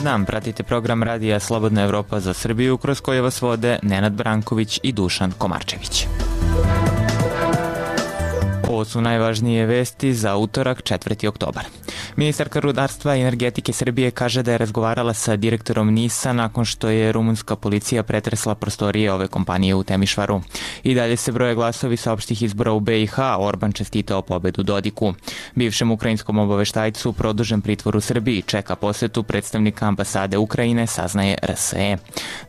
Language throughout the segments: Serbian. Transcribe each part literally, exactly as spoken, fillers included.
Dobar dan, pratite program radija Slobodna Evropa za Srbiju kroz koje vas vode Nenad Branković i Dušan Komarčević. Ovo su najvažnije vesti za utorak, četvrti oktobar. Ministarka rudarstva i energetike Srbije kaže da je razgovarala sa direktorom NIS-a nakon što je rumunska policija pretresla prostorije ove kompanije u Temišvaru. I dalje se broje glasovi sa opštih izbora u be i ha, Orban čestitao pobedu Dodiku. Bivšem ukrajinskom obaveštajcu produžen pritvor u Srbiji čeka posetu predstavnika ambasade Ukrajine, saznaje er es e.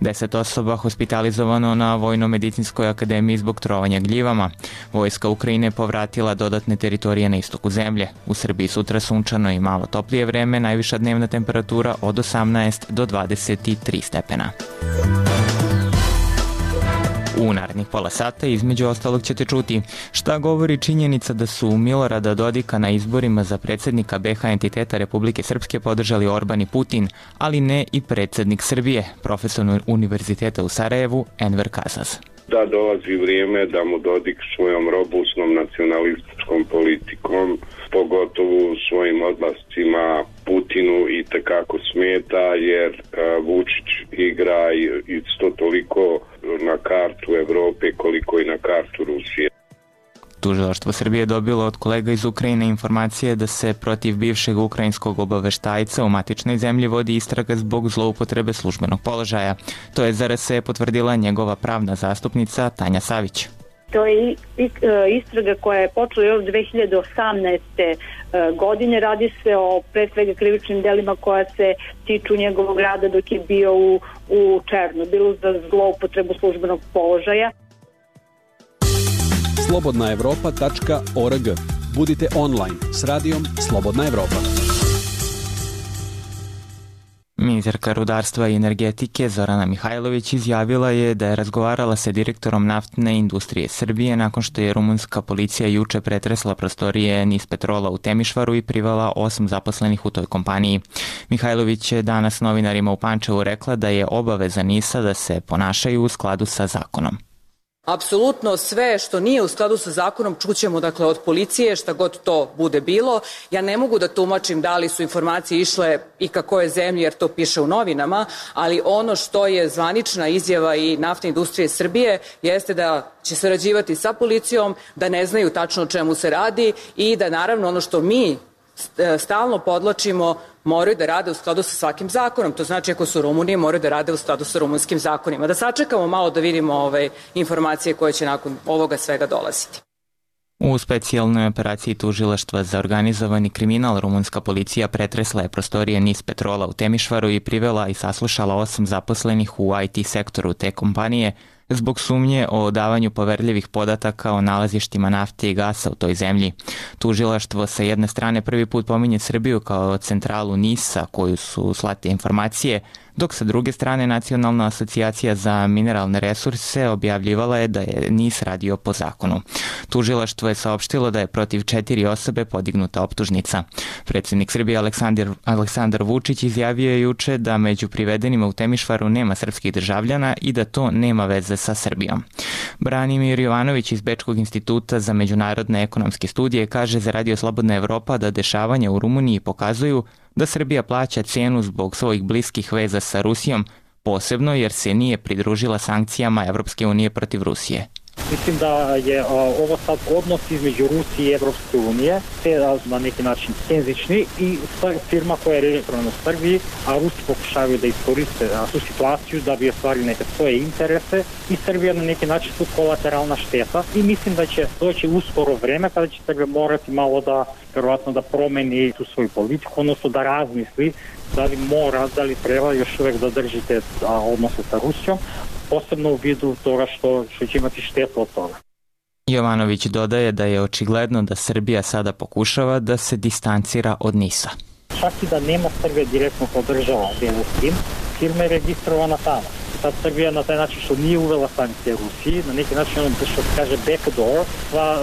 Deset osoba hospitalizovano na Vojno-medicinskoj akademiji zbog trovanja gljivama. Vojska Ukrajine povratila dodatne teritorije na istoku zemlje. U Srbiji sutra sunčano i malo toplije vreme, najviša dnevna temperatura od osamnaest do dvadeset tri stepena. U narednih pola sata između ostalog ćete čuti šta govori činjenica da su Milorada Dodika na izborima za predsjednika be ha entiteta Republike Srpske podržali Orban i Putin, ali ne i predsjednik Srbije, profesor Univerziteta u Sarajevu Enver Kazaz. Da dolazi vrijeme da mu Dodik svojom robustnom nacionalističkom politikom, pogotovo svojim odlascima Putinu i tekako smeta, jer Vučić igra isto toliko na kartu Evrope koliko i na kartu Rusije. Tužilaštvo Srbije dobilo od kolega iz Ukrajine informacije da se protiv bivšeg ukrajinskog obaveštajca u matičnoj zemlji vodi istraga zbog zloupotrebe službenog položaja. To je za er es e potvrdila njegova pravna zastupnica Tanja Savić. To je istraga koja je počela još dve hiljade osamnaeste. godine. Radi se o pre svega krivičnim delima koja se tiču njegovog rada dok je bio u, u Černobilu za zloupotrebu službenog položaja. slobodna evropa tačka org. Budite online s radijom Slobodna Evropa. Ministarka rudarstva i energetike Zorana Mihajlović izjavila je da je razgovarala sa direktorom naftne industrije Srbije nakon što je rumunska policija juče pretresla prostorije NIS Petrola u Temišvaru i privela osam zaposlenih u toj kompaniji. Mihajlović je danas novinarima u Pančevu rekla da je obaveza NIS-a da se ponašaju u skladu sa zakonom. Apsolutno sve što nije u skladu sa zakonom čućemo dakle od policije, šta god to bude bilo. Ja ne mogu da tumačim da li su informacije išle i ka kojoj zemlji jer to piše u novinama, ali ono što je zvanična izjava i naftne industrije Srbije jeste da će sarađivati sa policijom, da ne znaju tačno o čemu se radi i da naravno ono što mi stalno podlačimo moraju da rade u skladu sa svakim zakonom. To znači ako su Rumunije moraju da rade u skladu sa rumunskim zakonima. Da sačekamo malo da vidimo ove informacije koje će nakon ovoga svega dolaziti. U specijalnoj operaciji Tužilaštva za organizovani kriminal rumunska policija pretresla je prostorije NIS Petrola u Temišvaru i privela i saslušala osam zaposlenih u i te sektoru te kompanije zbog sumnje o davanju poverljivih podataka o nalazištima nafte i gasa u toj zemlji. Tužilaštvo sa jedne strane prvi put pominje Srbiju kao centralu NIS-a koju su slate informacije, dok sa druge strane Nacionalna asocijacija za mineralne resurse objavljivala je da je NIS radio po zakonu. Tužilaštvo je saopštilo da je protiv četiri osobe podignuta optužnica. Predsjednik Srbije Aleksandar, Aleksandar Vučić izjavio je juče da među privedenima u Temišvaru nema srpskih državljana i da to nema veze sa Srbijom. Branimir Jovanović iz Bečkog instituta za međunarodne ekonomske studije kaže za Radio Slobodna Evropa da dešavanja u Rumuniji pokazuju da Srbija plaća cenu zbog svojih bliskih veza sa Rusijom, posebno jer se nije pridružila sankcijama Evropske unije protiv Rusije. Mislim da je ovo sad odnos između Rusije i Evropske unije, te na neki način tenzični i firma koja je registrovana u Srbiji, a Rusi pokušavaju da iskoriste tu situaciju da bi ostvarili neke svoje interese i Srbija na neki način su kolateralna šteta i mislim da će doći uskoro vreme kada će Srbija morati malo da, verovatno da promeni tu svoju politiku, odnosno da razmisli da li mora, da li treba još uvek da držite odnose sa Rusijom, posebno u vidu toga što, što će imati štetu od toga. Jovanović dodaje da je očigledno da Srbija sada pokušava da se distancira od NIS-a. Čak i da nema Srbija direktno podržava bilo s tim, firma je registrovana tamo. Sad Srbija na taj način što nije uvela sankcije Rusiji, na neki način ono što se kaže backdoor, sva,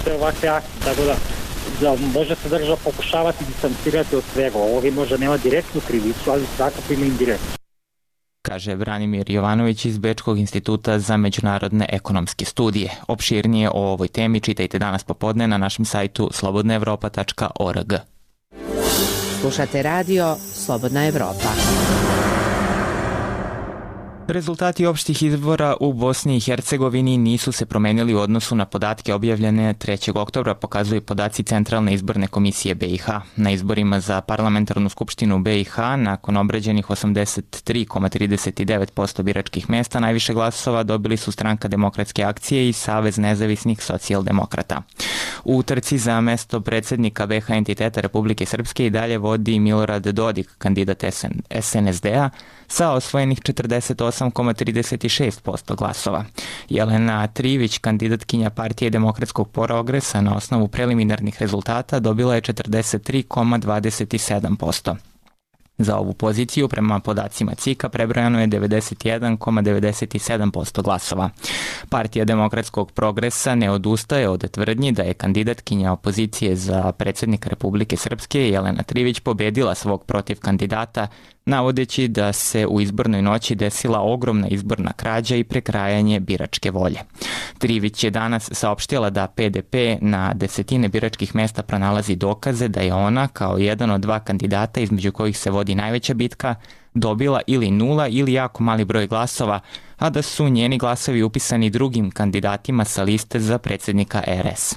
sve ovakve akcije, tako da da može se država pokušavati distancirati od svega. Ovo možda nema direktnu krivicu, ali svakako ima indirektnu. Kaže Branimir Jovanović iz Bečkog instituta za međunarodne ekonomske studije. Opširnije o ovoj temi čitajte danas popodne na našem sajtu slobodna evropa tačka org. Slušate radio Slobodna Evropa. Rezultati opštih izbora u Bosni i Hercegovini nisu se promenili u odnosu na podatke objavljene trećeg oktobra, pokazuju podaci Centralne izborne komisije B i H. Na izborima za parlamentarnu skupštinu B i H, nakon obrađenih osamdeset tri zarez trideset devet posto biračkih mesta, najviše glasova dobili su Stranka demokratske akcije i Savez nezavisnih socijaldemokrata. U trci za mesto predsjednika B H entiteta Republike Srpske i dalje vodi Milorad Dodik, kandidat S N S D-a, sa osvojenih četrdeset osam zarez trideset šest posto glasova. Jelena Trivić, kandidatkinja Partije demokratskog progresa, na osnovu preliminarnih rezultata dobila je četrdeset tri zarez dvadeset sedam posto. Za ovu poziciju, prema podacima C I K-a, prebrojano je devedeset jedan zarez devedeset sedam posto glasova. Partija demokratskog progresa ne odustaje od tvrdnji da je kandidatkinja opozicije za predsjednika Republike Srpske Jelena Trivić pobedila svog protiv kandidata, navodeći da se u izbornoj noći desila ogromna izborna krađa i prekrajanje biračke volje. Trivić je danas saopštila da P D P na desetine biračkih mesta pronalazi dokaze da je ona, kao jedan od dva kandidata između kojih se vodi najveća bitka, dobila ili nula ili jako mali broj glasova, a da su njeni glasovi upisani drugim kandidatima sa liste za predsjednika R S.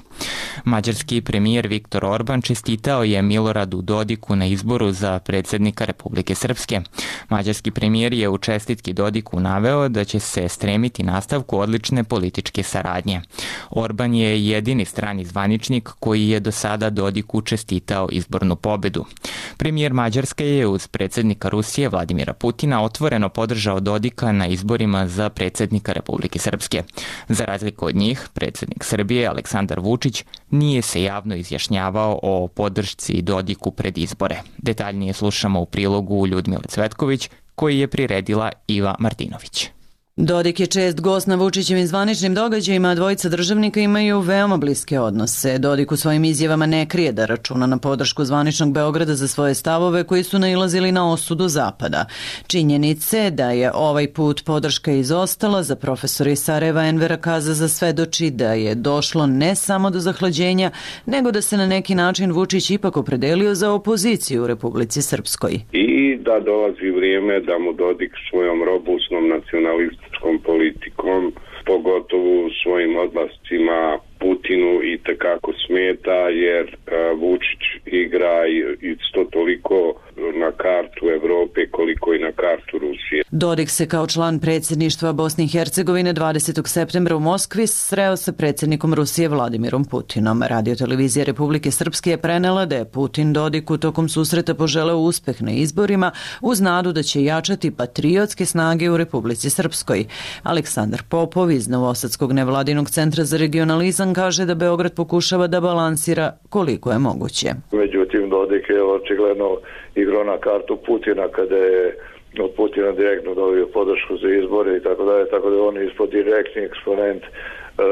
Mađarski premijer Viktor Orban čestitao je Miloradu Dodiku na izboru za predsjednika Republike Srpske. Mađarski premijer je u čestitki Dodiku naveo da će se stremiti nastavku odlične političke saradnje. Orban je jedini strani zvaničnik koji je do sada Dodiku čestitao izbornu pobedu. Premijer Mađarske je uz predsjednika Rusije Vladimira Putina otvoreno podržao Dodika na izborima za predsjednika Republike Srpske. Za razliku od njih, predsjednik Srbije Aleksandar Vučić nije se javno izjašnjavao o podršci Dodiku pred izbore. Detaljnije slušamo u prilogu Ljudmile Cvetković, koji je priredila Iva Martinović. Dodik je čest gost na Vučićevim zvaničnim događajima, a dvojica državnika imaju veoma bliske odnose. Dodik u svojim izjavama ne krije da računa na podršku zvaničnog Beograda za svoje stavove koji su nailazili na osudu Zapada. Činjenice da je ovaj put podrška izostala za profesora iz Sarajeva Envera Kazaza svedoči da je došlo ne samo do zahlađenja, nego da se na neki način Vučić ipak opredelio za opoziciju u Republici Srpskoj. I da dolazi vrijeme da mu Dodik svojom robustnom nacionalističkom politikom, pogotovo svojim odlascima Putinu i tekako smeta, jer uh, Vučić igra isto toliko na kartu Evrope koliko i na kartu Rusije. Dodik se kao član predsjedništva Bosne i Hercegovine dvadesetog septembra u Moskvi sreo sa predsjednikom Rusije Vladimirom Putinom. Radiotelevizija Republike Srpske je prenela da je Putin Dodiku tokom susreta poželeo uspeh na izborima uz nadu da će jačati patriotske snage u Republici Srpskoj. Aleksandar Popov iz Novosadskog nevladinog centra za regionalizam kaže da Beograd pokušava da balansira koliko je moguće. Međutim, Dodik je očigledno igrao na kartu Putina kada je od Putina direktno dobio podršku za izbore i tako dalje, tako da on je ispod direktni eksponent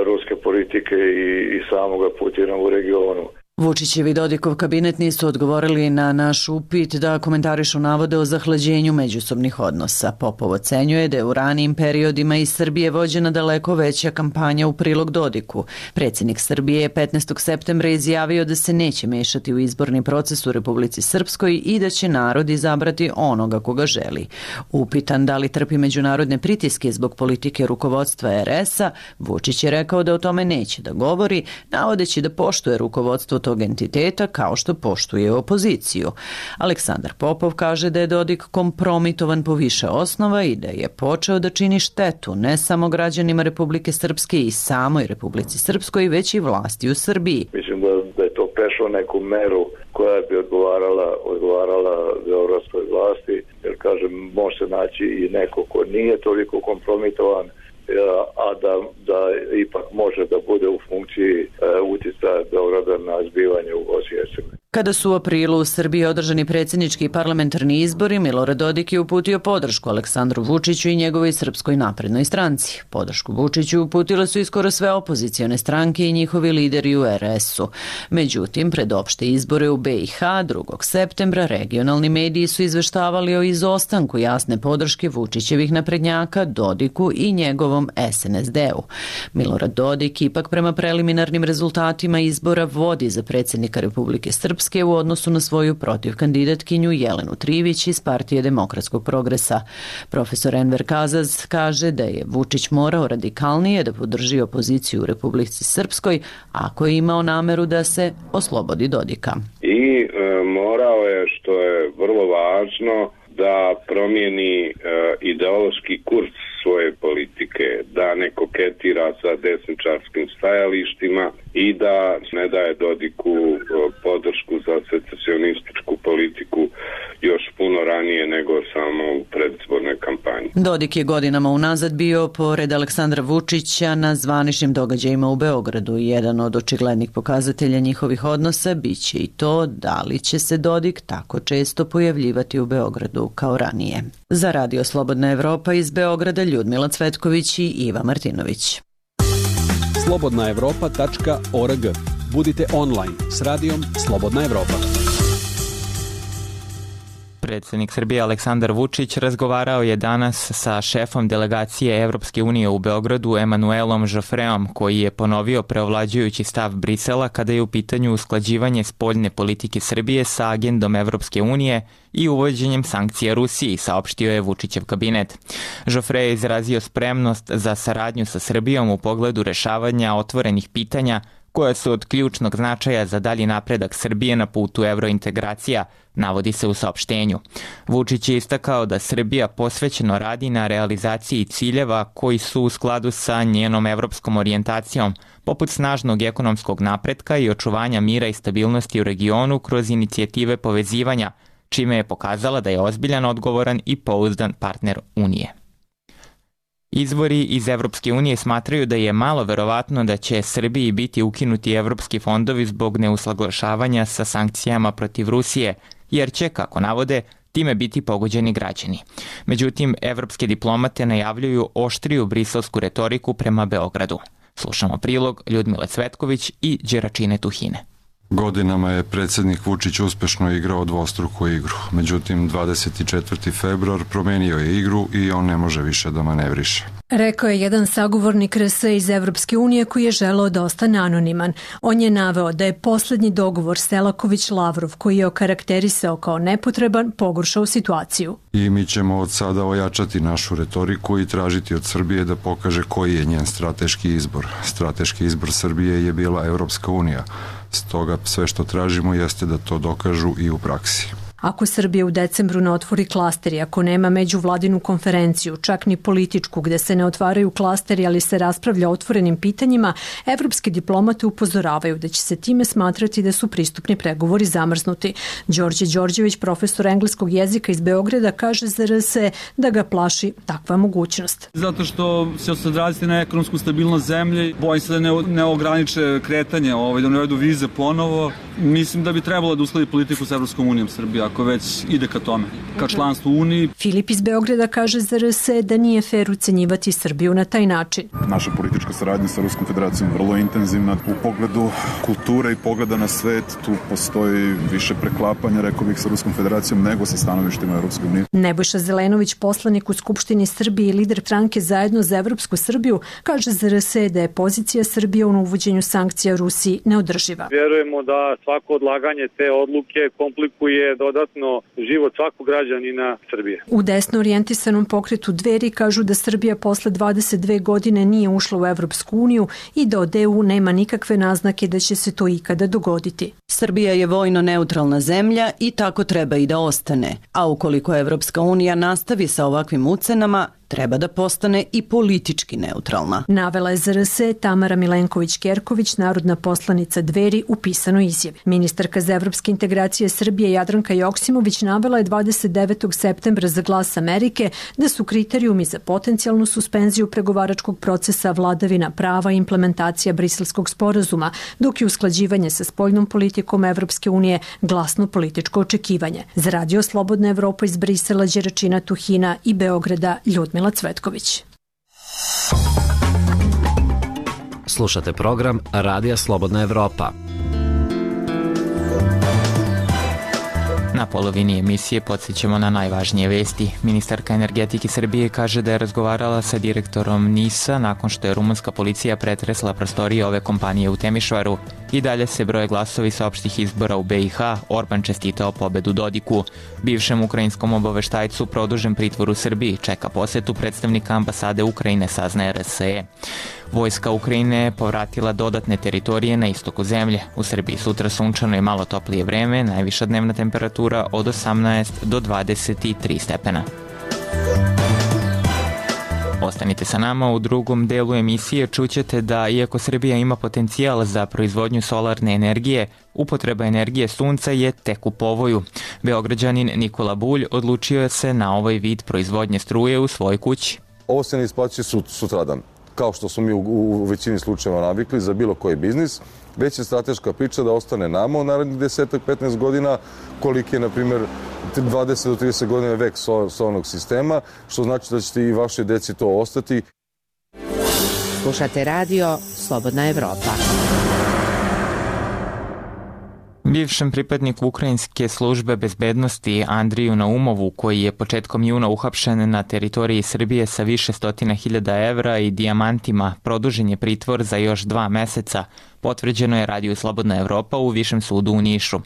ruske politike i, i samoga Putina u regionu. Vučićev i Dodikov kabinet nisu odgovorili na naš upit da komentarišu navode o zahlađenju međusobnih odnosa. Popov ocenjuje da je u ranijim periodima iz Srbije vođena daleko veća kampanja u prilog Dodiku. Predsjednik Srbije je petnaestog septembra izjavio da se neće mešati u izborni proces u Republici Srpskoj i da će narod izabrati onoga koga želi. Upitan da li trpi međunarodne pritiske zbog politike rukovodstva R S-a, Vučić je rekao da o tome neće da govori, navodeći da poštuje rukovodstvo tog entiteta kao što poštuje opoziciju. Aleksandar Popov kaže da je Dodik kompromitovan po više osnova i da je počeo da čini štetu ne samo građanima Republike Srpske i samoj Republici Srpskoj, već i vlasti u Srbiji. Mislim da, da je to prešlo neku meru koja bi odgovarala, odgovarala beogradskoj vlasti, jer kažem, može se naći i neko ko nije toliko kompromitovan, a da, da ipak može da bude u funkciji e, utjecaja Beograda na zbivanje u Bosni i Hercegovini. Kada su u aprilu u Srbiji održani predsjednički i parlamentarni izbori, Milorad Dodik je uputio podršku Aleksandru Vučiću i njegovoj Srpskoj naprednoj stranci. Podršku Vučiću uputile su i skoro sve opozicione stranke i njihovi lideri u R S-u. Međutim, pred opšte izbore u B i H drugog septembra regionalni mediji su izveštavali o izostanku jasne podrške Vučićevih naprednjaka, Dodiku i njegovom S N S D-u. Milorad Dodik ipak prema preliminarnim rezultatima izbora vodi za predsjednika Republike Srpske Srpske u odnosu na svoju protivkandidatkinju Jelenu Trivić iz Partije demokratskog progresa. Profesor Enver Kazaz kaže da je Vučić morao radikalnije da podrži opoziciju u Republici Srpskoj ako je imao nameru da se oslobodi Dodika. I e, morao je, što je vrlo važno, da promijeni e, ideološki kurs svoje politike, da ne koketira sa desničarskim stajalištima i da ne daje Dodiku e, podršku za secesionističku politiku još puno ranije nego samo u predizbornoj kampanji. Dodik je godinama unazad bio, pored Aleksandra Vučića, na zvaničnim događajima u Beogradu. Jedan od očiglednih pokazatelja njihovih odnosa biće i to da li će se Dodik tako često pojavljivati u Beogradu kao ranije. Za Radio Slobodna Evropa iz Beograda Ljudmila Cvetković i Iva Martinović. slobodna evropa tačka org. Budite online s radijom Slobodna Evropa. Predsjednik Srbije Aleksandar Vučić razgovarao je danas sa šefom delegacije Evropske unije u Beogradu Emanuelom Žofreom, koji je ponovio preovlađujući stav Brisela kada je u pitanju usklađivanje spoljne politike Srbije sa agendom Evropske unije i uvođenjem sankcija Rusiji, saopštio je Vučićev kabinet. Žofre je izrazio spremnost za saradnju sa Srbijom u pogledu rešavanja otvorenih pitanja koja su od ključnog značaja za dalji napredak Srbije na putu evrointegracija, navodi se u saopštenju. Vučić je istakao da Srbija posvećeno radi na realizaciji ciljeva koji su u skladu sa njenom evropskom orijentacijom, poput snažnog ekonomskog napretka i očuvanja mira i stabilnosti u regionu kroz inicijative povezivanja, čime je pokazala da je ozbiljan, odgovoran i pouzdan partner Unije. Izvori iz Evropske unije smatraju da je malo verovatno da će Srbiji biti ukinuti evropski fondovi zbog neusaglašavanja sa sankcijama protiv Rusije, jer će, kako navode, time biti pogođeni građani. Međutim, evropske diplomate najavljuju oštriju briselsku retoriku prema Beogradu. Slušamo prilog Ljudmile Cvetković i Đeračine Tuhine. Godinama je predsjednik Vučić uspešno igrao dvostruku igru. Međutim, dvadeset četvrti februar promenio je igru i on ne može više da manevriše. Rekao je jedan sagovornik R S iz Evropske unije koji je želeo da ostane anoniman. On je naveo da je poslednji dogovor Selaković-Lavrov, koji je okarakterisao kao nepotreban, pogoršao situaciju. I mi ćemo od sada ojačati našu retoriku i tražiti od Srbije da pokaže koji je njen strateški izbor. Strateški izbor Srbije je bila Evropska unija. Stoga sve što tražimo jeste da to dokažu i u praksi. Ako Srbija u decembru ne otvori klasteri, ako nema međuvladinu konferenciju, čak ni političku, gde se ne otvaraju klasteri, ali se raspravlja o otvorenim pitanjima, evropski diplomate upozoravaju da će se time smatrati da su pristupni pregovori zamrznuti. Đorđe Đorđević, profesor engleskog jezika iz Beograda, kaže za R S da ga plaši takva mogućnost. Zato što će se odraziti na ekonomsku stabilnost zemlje, bojim se da ne, ne ograniče kretanje, ovaj, da ne uvedu vize ponovo. Mislim da bi trebalo da usledi politiku sa Evropskom unijom Srbija, ako već ide ka tome, ka članstvu u Uniji. Filip iz Beograda kaže za R S da nije fer ucenjivati Srbiju na taj način. Naša politička saradnja sa Ruskom federacijom je vrlo intenzivna. U pogledu kulture i pogleda na svet tu postoji više preklapanja, rekao bih, sa Ruskom federacijom nego sa stanovištima Evropske unije. Nebojša Zelenović, poslanik u Skupštini Srbije i lider stranke Zajedno za Evropsku Srbiju, kaže za R S da je pozicija Srbije u uvođenju sankcija Rusiji neodrživa. Vjerujemo da svako odlaganje te odluke komplikuje dodatno život svakog građanina Srbije. U desno orijentisanom pokretu Dveri kažu da Srbija posle dvadeset dve godine nije ušla u Evropsku uniju i da od E U nema nikakve naznake da će se to ikada dogoditi. Srbija je vojno neutralna zemlja i tako treba i da ostane. A ukoliko Evropska unija nastavi sa ovakvim ucenama, treba da postane i politički neutralna. Navela je za R S Tamara Milenković-Kerković, narodna poslanica Dveri, u pisanoj izjavi. Ministarka za evropske integracije Srbije Jadranka Joksimović navela je dvadeset devetog septembra za Glas Amerike da su kriterijumi za potencijalnu suspenziju pregovaračkog procesa vladavina prava i implementacija Briselskog sporazuma, dok je usklađivanje sa spoljnom politikom Evropske unije glasno političko očekivanje. Za Radio Slobodna Evropa iz Brisela, Đeračina Tuhina i Beograda, Ljudmila Cvetković. Slušate program Radija Slobodna Evropa. Na polovini emisije podsjećamo na najvažnije vesti. Ministarka energetike Srbije kaže da je razgovarala sa direktorom NIS-a nakon što je rumunska policija pretresla prostorije ove kompanije u Temišvaru. I dalje se broje glasovi sa opštih izbora u B i H. Orban čestitao pobedu Dodiku. Bivšem ukrajinskom obaveštajcu produžen pritvor u Srbiji čeka posetu predstavnika ambasade Ukrajine, saznaje R S E. Vojska Ukrajine je povratila dodatne teritorije na istoku zemlje. U Srbiji sutra sunčano i malo toplije vreme, najviša dnevna temperatura od osamnaest do dvadeset tri stepena. Ostanite sa nama, u drugom delu emisije čućete da iako Srbija ima potencijal za proizvodnju solarne energije, upotreba energije sunca je tek u povoju. Beograđanin Nikola Bulj odlučio se na ovaj vid proizvodnje struje u svojoj kući. Ovo se ne isplaćuje sutradan, kao što smo mi u, u većini slučajeva navikli za bilo koji biznis, već je strateška priča da ostane nama u narednih deset do petnaest godina, koliki je, na primjer, dvadeset do trideset godina vek solarnog sistema, što znači da ćete i vaše deci to ostati. Slušate radio Slobodna Evropa. Bivšem pripadniku ukrajinske službe bezbednosti Andriju Naumovu, koji je početkom juna uhapšen na teritoriji Srbije sa više stotina hiljada evra i dijamantima, produžen je pritvor za još dva meseca, potvrđeno je Radio Slobodna Evropa u Višem sudu u Nišu.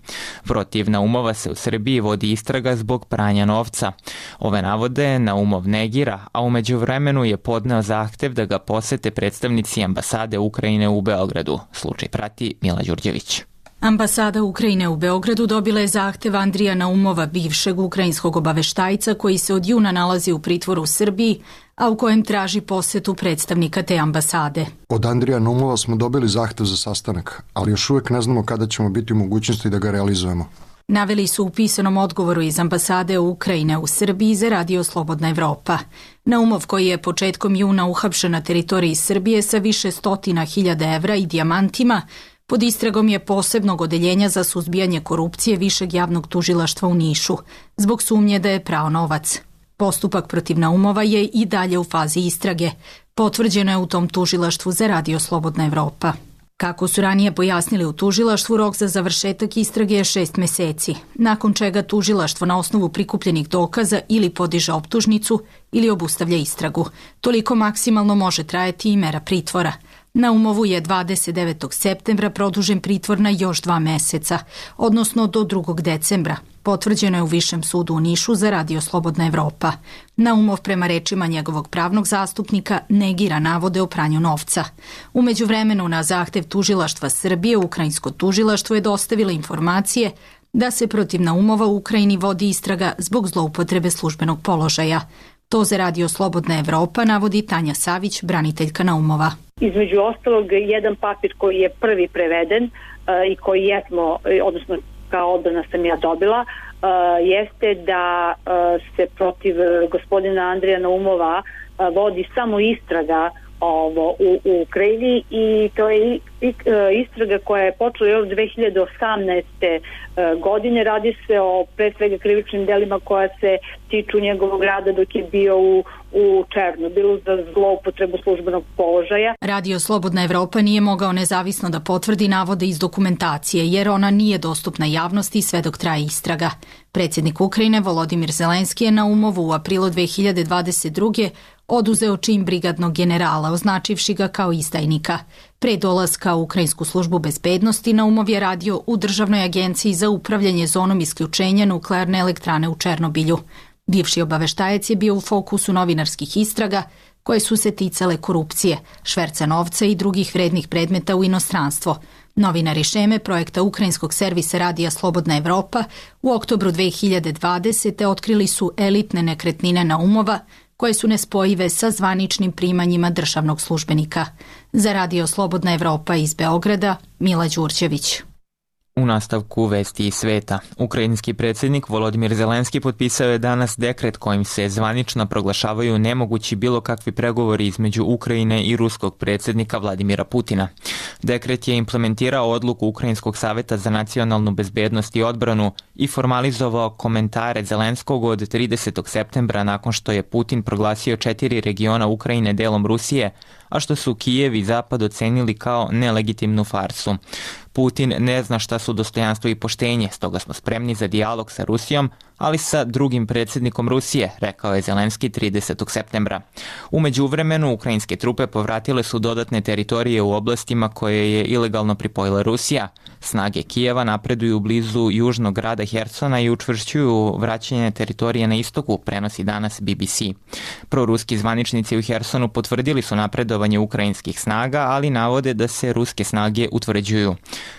Protiv Naumova se u Srbiji vodi istraga zbog pranja novca. Ove navode Naumov negira, a u međuvremenu je podneo zahtev da ga posete predstavnici ambasade Ukrajine u Beogradu. Slučaj prati Mila Đurđević. Ambasada Ukrajine u Beogradu dobila je zahtev Andrija Naumova, bivšeg ukrajinskog obaveštajca koji se od juna nalazi u pritvoru u Srbiji, a u kojem traži posetu predstavnika te ambasade. Od Andrija Naumova smo dobili zahtev za sastanak, ali još uvek ne znamo kada ćemo biti u mogućnosti da ga realizujemo. Naveli su u pisanom odgovoru iz ambasade Ukrajine u Srbiji za Radio Slobodna Evropa. Naumov, koji je početkom juna uhapšen na teritoriji Srbije sa više stotina hiljada evra i dijamantima, pod istragom je posebnog odeljenja za suzbijanje korupcije Višeg javnog tužilaštva u Nišu, zbog sumnje da je prao novac. Postupak protiv Naumova je i dalje u fazi istrage. Potvrđeno je u tom tužilaštvu za Radio Slobodna Evropa. Kako su ranije pojasnili u tužilaštvu, rok za završetak istrage je šest meseci, nakon čega tužilaštvo na osnovu prikupljenih dokaza ili podiže optužnicu ili obustavlja istragu. Toliko maksimalno može trajati i mera pritvora. Naumovu je dvadeset devetog septembra produžen pritvor na još dva meseca, odnosno do drugog decembra. Potvrđeno je u Višem sudu u Nišu za Radio Slobodna Evropa. Naumov, prema rečima njegovog pravnog zastupnika, negira navode o pranju novca. U međuvremenu, na zahtev tužilaštva Srbije, ukrajinsko tužilaštvo je dostavilo informacije da se protiv Naumova u Ukrajini vodi istraga zbog zloupotrebe službenog položaja. To za Radio Slobodna Evropa navodi Tanja Savić, braniteljka Naumova. Između ostalog, jedan papir koji je prvi preveden uh, i koji jesmo, odnosno kao odbrana sam ja dobila, uh, jeste da uh, se protiv gospodina Andrija Naumova uh, vodi samo istraga ovo u, u Ukrajini i to je istraga koja je počela još dve hiljade osamnaeste godine. Radi se o pre svega krivičnim delima koja se tiču njegovog rada dok je bio u, u Černobilu za zloupotrebu službenog položaja. Radio Slobodna Evropa nije mogao nezavisno da potvrdi navode iz dokumentacije jer ona nije dostupna javnosti sve dok traje istraga. Predsjednik Ukrajine Volodimir Zelenski je Naumovu u aprilu dve hiljade dvadeset druge oduzeo čin brigadnog generala, označivši ga kao izdajnika. Pre dolaska u Ukrajinsku službu bezbednosti Naumov je radio u Državnoj agenciji za upravljanje zonom isključenja nuklearne elektrane u Černobilju. Bivši obaveštajac je bio u fokusu novinarskih istraga koje su se ticale korupcije, šverca novca i drugih vrednih predmeta u inostranstvo. Novinari Šeme, projekta ukrajinskog servisa Radija Slobodna Evropa, u oktobru dve hiljade dvadesete otkrili su elitne nekretnine Naumova, koje su nespojive sa zvaničnim primanjima državnog službenika. Za Radio Slobodna Evropa iz Beograda, Mila Đurđević. U nastavku vesti iz sveta, ukrajinski predsjednik Volodimir Zelenski potpisao je danas dekret kojim se zvanično proglašavaju nemogući bilo kakvi pregovori između Ukrajine i ruskog predsjednika Vladimira Putina. Dekret je implementirao odluku Ukrajinskog saveta za nacionalnu bezbednost i odbranu i formalizovao komentare Zelenskog od tridesetog septembra nakon što je Putin proglasio četiri regiona Ukrajine delom Rusije, a što su Kijev i Zapad ocenili kao nelegitimnu farsu. Putin ne zna šta su dostojanstvo i poštenje, stoga smo spremni za dijalog sa Rusijom, ali sa drugim predsjednikom Rusije, rekao je Zelenski tridesetog septembra. U međuvremenu, ukrajinske trupe povratile su dodatne teritorije u oblastima koje je ilegalno pripojila Rusija. Snage Kijeva napreduju blizu južnog grada Hersona i učvršćuju vraćanje teritorije na istoku, prenosi danas B B C. Proruski zvaničnici u Hersonu potvrdili su napredovanje ukrajinskih snaga, ali navode da se ruske snage utvrđuju.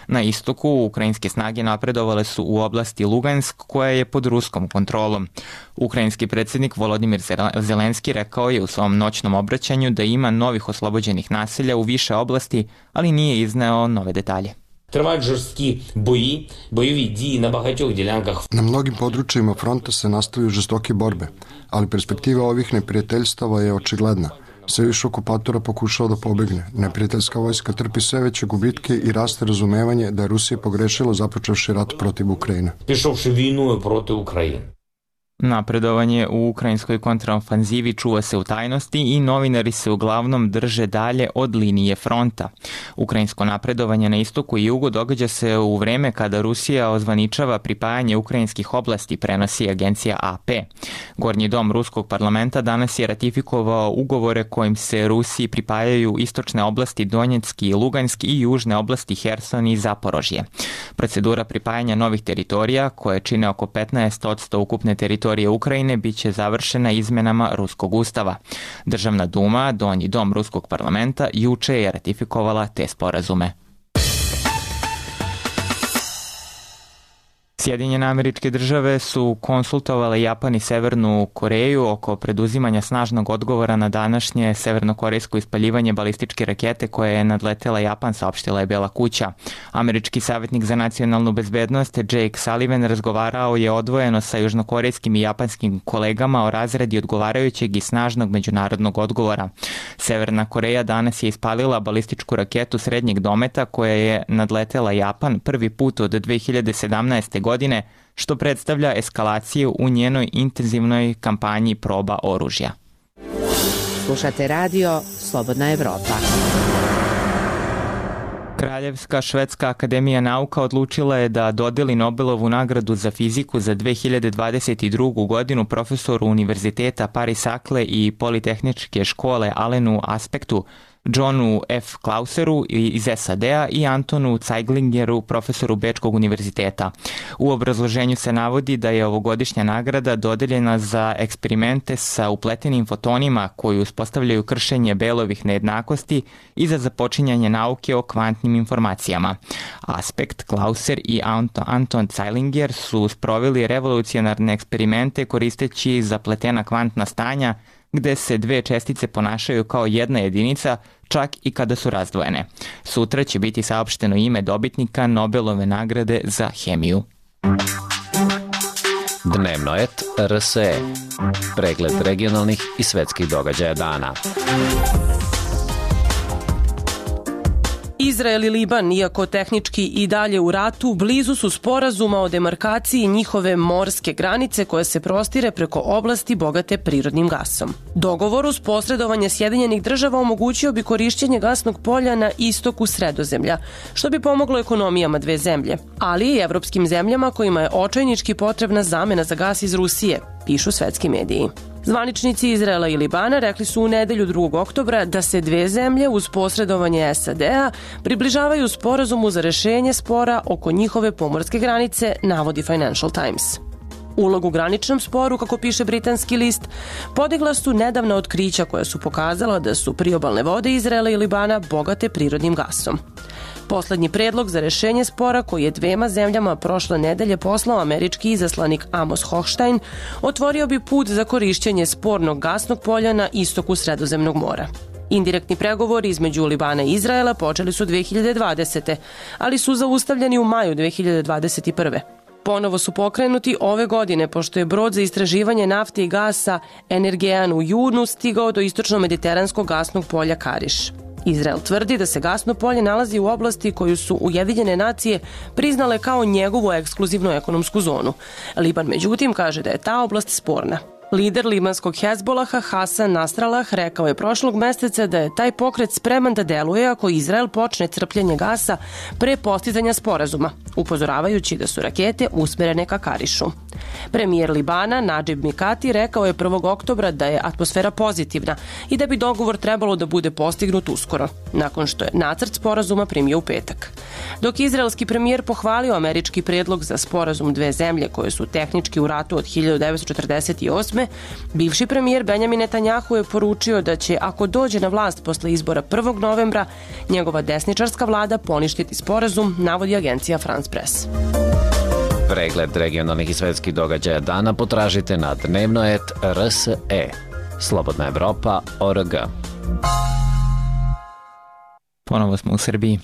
Na istoku, ukrajinske snage napredovale su u oblasti Lugansk, koja je pod ruskom kontrolom. Ukrajinski predsjednik Volodimir Zelenski rekao je u svom noćnom obraćanju da ima novih oslobođenih naselja u više oblasti, ali nije izneo nove detalje. Тривають жорсткі бої, бойові дії на багатьох ділянках. Na mnogim područjima fronta se nastavljaju žestoke borbe, ali perspektiva ovih neprijateljstava je očigledna. Sve više okupatora pokušao da pobegne. Neprijateljska vojska trpi sve veće gubitke i raste razumevanje da je Rusija pogrešila započevši rat protiv Ukrajine. Пішовши війною проти України. Napredovanje u ukrajinskoj kontraofanzivi čuva se u tajnosti i novinari se uglavnom drže dalje od linije fronta. Ukrajinsko napredovanje na istoku i jugu događa se u vreme kada Rusija ozvaničava pripajanje ukrajinskih oblasti, prenosi agencija A P. Gornji dom ruskog parlamenta danas je ratifikovao ugovore kojim se Rusiji pripajaju istočne oblasti Donjecki i Luganski i južne oblasti Herson i Zaporožje. Procedura pripajanja novih teritorija, koje čine oko petnaest posto ukupne teritorije Ukrajine, bit će završena izmenama Ruskog ustava. Državna duma, donji dom Ruskog parlamenta, juče je ratifikovala te sporazume. Sjedinjene Američke Države su konsultovale Japan i Severnu Koreju oko preduzimanja snažnog odgovora na današnje severnokorejsko ispaljivanje balističke rakete koje je nadletela Japan, saopštila je Bela kuća. Američki savjetnik za nacionalnu bezbednost Jake Sullivan razgovarao je odvojeno sa južnokorejskim i japanskim kolegama o razradi odgovarajućeg i snažnog međunarodnog odgovora. Severna Koreja danas je ispalila balističku raketu srednjeg dometa koja je nadletela Japan prvi put od dve hiljade sedamnaeste. godine, što predstavlja eskalaciju u njenoj intenzivnoj kampanji proba oružja. Slušate radio Slobodna Evropa. Kraljevska švedska akademija nauka odlučila je da dodeli Nobelovu nagradu za fiziku za dve hiljade dvadeset drugu. godinu profesoru Univerziteta Paris Sakle i Politehničke škole Alenu Aspektu, Johnu F. Klauseru iz S A D-a i Antonu Zeiglingeru, profesoru Bečkog univerziteta. U obrazloženju se navodi da je ovogodišnja nagrada dodeljena za eksperimente sa upletenim fotonima koji uspostavljaju kršenje Belovih nejednakosti i za započinjanje nauke o kvantnim informacijama. Aspekt, Klauser i Anton Zeilinger su sproveli revolucionarne eksperimente koristeći zapletena kvantna stanja gde se dve čestice ponašaju kao jedna jedinica, čak i kada su razdvojene. Sutra će biti saopšteno ime dobitnika Nobelove nagrade za hemiju. Dnevnoet R S E. Pregled regionalnih i svetskih događaja dana. Izrael i Liban, iako tehnički i dalje u ratu, blizu su sporazuma o demarkaciji njihove morske granice koja se prostire preko oblasti bogate prirodnim gasom. Dogovor uz posredovanje Sjedinjenih država omogućio bi korišćenje gasnog polja na istoku Sredozemlja, što bi pomoglo ekonomijama dve zemlje, ali i evropskim zemljama kojima je očajnički potrebna zamena za gas iz Rusije, pišu svetski mediji. Zvaničnici Izraela i Libana rekli su u nedelju drugog oktobra da se dve zemlje uz posredovanje S A D-a približavaju sporazumu za rešenje spora oko njihove pomorske granice, navodi Financial Times. Ulogu u graničnom sporu, kako piše britanski list, podigla su nedavna otkrića koja su pokazala da su priobalne vode Izraela i Libana bogate prirodnim gasom. Poslednji predlog za rešenje spora koji je dvema zemljama prošle nedelje poslao američki izaslanik Amos Hochstein otvorio bi put za korišćenje spornog gasnog polja na istoku Sredozemnog mora. Indirektni pregovori između Libana i Izraela počeli su dve hiljade dvadesete. ali su zaustavljeni u maju dve hiljade dvadeset prve. Ponovo su pokrenuti ove godine pošto je brod za istraživanje nafte i gasa Energean u junu stigao do istočno-mediteranskog gasnog polja Kariš. Izrael tvrdi da se gasno polje nalazi u oblasti koju su Ujedinjene nacije priznale kao njegovu ekskluzivnu ekonomsku zonu. Liban, međutim, kaže da je ta oblast sporna. Lider libanskog Hezbolaha Hasan Nasrallah rekao je prošlog meseca da je taj pokret spreman da deluje ako Izrael počne crpljenje gasa pre postizanja sporazuma, upozoravajući da su rakete usmerene ka Karišu. Premijer Libana Nadžib Mikati rekao je prvog oktobra da je atmosfera pozitivna i da bi dogovor trebalo da bude postignut uskoro, nakon što je nacrt sporazuma primio u petak. Dok izraelski premijer pohvalio američki predlog za sporazum dve zemlje koje su tehnički u ratu od hiljadu devetsto četrdeset osme. Bivši premijer Benjamin Netanjahu je poručio da će, ako dođe na vlast posle izbora prvog novembra, njegova desničarska vlada poništiti sporazum, navodi agencija France Press. Pregled regionalnih i svetskih događaja dana potražite na dnevno et er es e. Slobodna Evropa tačka org. Ponovo smo u Srbiji.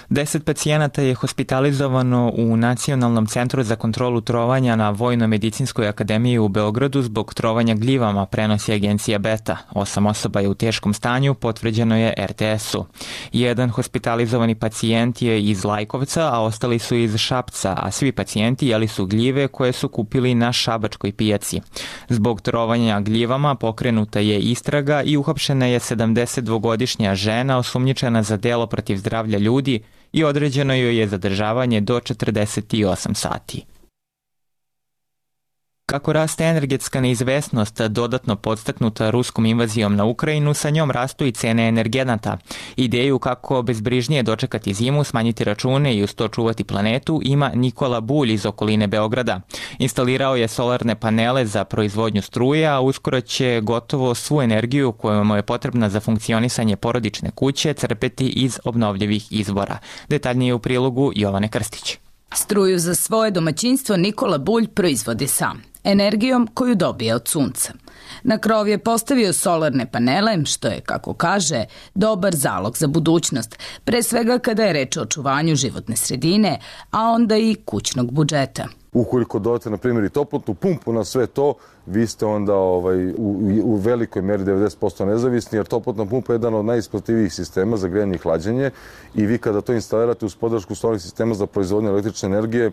Deset pacijenata je hospitalizovano u Nacionalnom centru za kontrolu trovanja na Vojno-medicinskoj akademiji u Beogradu zbog trovanja gljivama, prenosi agencija Beta. Osam osoba je u teškom stanju, potvrđeno je er te esu. Jedan hospitalizovani pacijent je iz Lajkovca, a ostali su iz Šapca, a svi pacijenti jeli su gljive koje su kupili na šabačkoj pijaci. Zbog trovanja gljivama pokrenuta je istraga i uhapšena je sedamdesetdvogodišnja žena osumnjičena za delo protiv zdravlja ljudi i određeno joj je zadržavanje do četrdeset osam sati. Kako raste energetska neizvesnost dodatno podstaknuta ruskom invazijom na Ukrajinu, sa njom rastu i cene energenata. Ideju kako bezbrižnije dočekati zimu, smanjiti račune i uz to čuvati planetu ima Nikola Bulj iz okoline Beograda. Instalirao je solarne panele za proizvodnju struje, a uskoro će gotovo svu energiju koja mu je potrebna za funkcionisanje porodične kuće crpeti iz obnovljivih izvora. Detaljnije u prilogu Jovane Krstić. Struju za svoje domaćinstvo Nikola Bulj proizvodi sam, energijom koju dobije od sunca. Na krov je postavio solarne panele, što je, kako kaže, dobar zalog za budućnost, pre svega kada je reč o očuvanju životne sredine, a onda i kućnog budžeta. Ukoliko dodate, na primjer, i toplotnu pumpu na sve to, vi ste onda ovaj, u, u velikoj meri devedeset posto nezavisni, jer toplotna pumpa je jedan od najisplativijih sistema za grejanje i hlađenje i vi kada to instalirate uz podršku solarnih sistema za proizvodnju električne energije,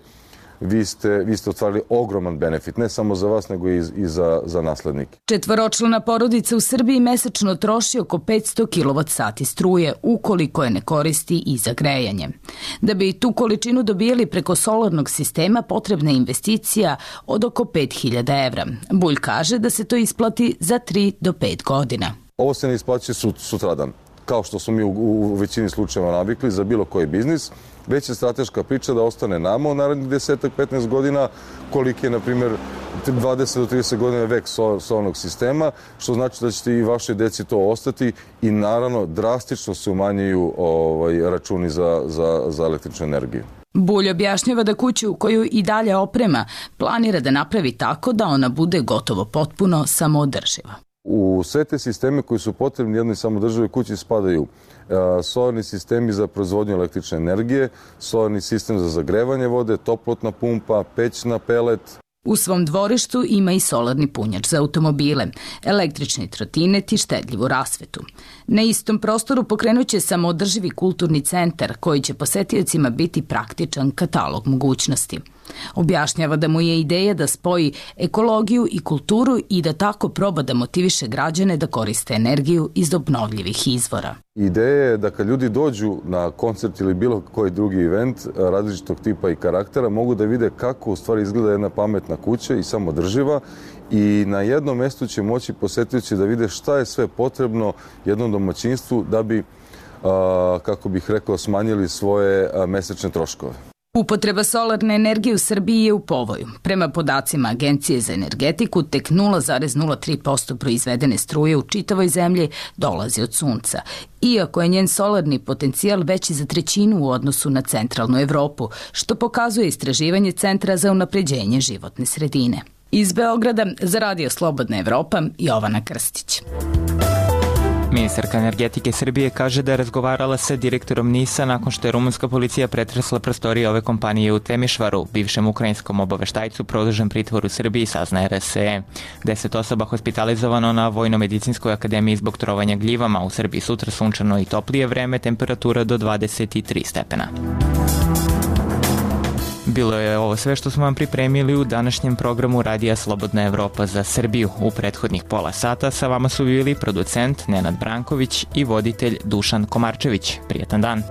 vi ste, vi ste ostvarili ogroman benefit, ne samo za vas, nego i, i za, za naslednike. Četvoročlana porodica u Srbiji mesečno troši oko petsto kilovat sati struje, ukoliko je ne koristi i za grejanje. Da bi tu količinu dobijali preko solarnog sistema, potrebna je investicija od oko pet hiljada evra. Bulj kaže da se to isplati za tri do pet godina. Ovo se ne isplaćuje sutradan, kao što smo mi u, u većini slučajeva navikli za bilo koji biznis, već je strateška priča da ostane nama u narednih deset do petnaest godina, koliki je, na primjer, dvadeset do trideset godina vek solarnog sistema, što znači da ćete i vaše deci to ostati i naravno drastično se umanjuju ovaj, računi za, za, za električnu energiju. Bulj objašnjava da kuću koju i dalje oprema planira da napravi tako da ona bude gotovo potpuno samoodrživa. U sve te sisteme koji su potrebni jednoj samodrživoj kući spadaju solarni sistemi za proizvodnju električne energije, solarni sistem za zagrevanje vode, toplotna pumpa, peć na pelet. U svom dvorištu ima i solarni punjač za automobile, električni trotinet i štedljivu rasvetu. Na istom prostoru pokrenuće samoodrživi kulturni centar koji će posetiocima biti praktičan katalog mogućnosti. Objašnjava da mu je ideja da spoji ekologiju i kulturu i da tako proba da motiviše građane da koriste energiju iz obnovljivih izvora. Ideja je da kad ljudi dođu na koncert ili bilo koji drugi event različitog tipa i karaktera, mogu da vide kako u stvari izgleda jedna pametna kuća i samodrživa i na jednom mestu će moći posetioci da vide šta je sve potrebno jednom domaćinstvu da bi, kako bih rekao, smanjili svoje mesečne troškove. Upotreba solarne energije u Srbiji je u povoju. Prema podacima Agencije za energetiku, tek nula zarez nula tri posto proizvedene struje u čitavoj zemlji dolazi od sunca. Iako je njen solarni potencijal veći za trećinu u odnosu na centralnu Evropu, što pokazuje istraživanje Centra za unapređenje životne sredine. Iz Beograda za Radio Slobodna Evropa, Jovana Krstić. Ministarka energetike Srbije kaže da je razgovarala sa direktorom NIS-a nakon što je rumunska policija pretresla prostorije ove kompanije u Temišvaru. Bivšem ukrajinskom obaveštajcu produžen pritvor u Srbiji, sazna er es e. Deset osoba hospitalizovano na Vojno-medicinskoj akademiji zbog trovanja gljivama. U Srbiji sutra sunčano i toplije vreme, temperatura do dvadeset tri stepena. Bilo je ovo sve što smo vam pripremili u današnjem programu Radija Slobodna Evropa za Srbiju. U prethodnih pola sata sa vama su bili producent Nenad Branković i voditelj Dušan Komarčević. Prijetan dan!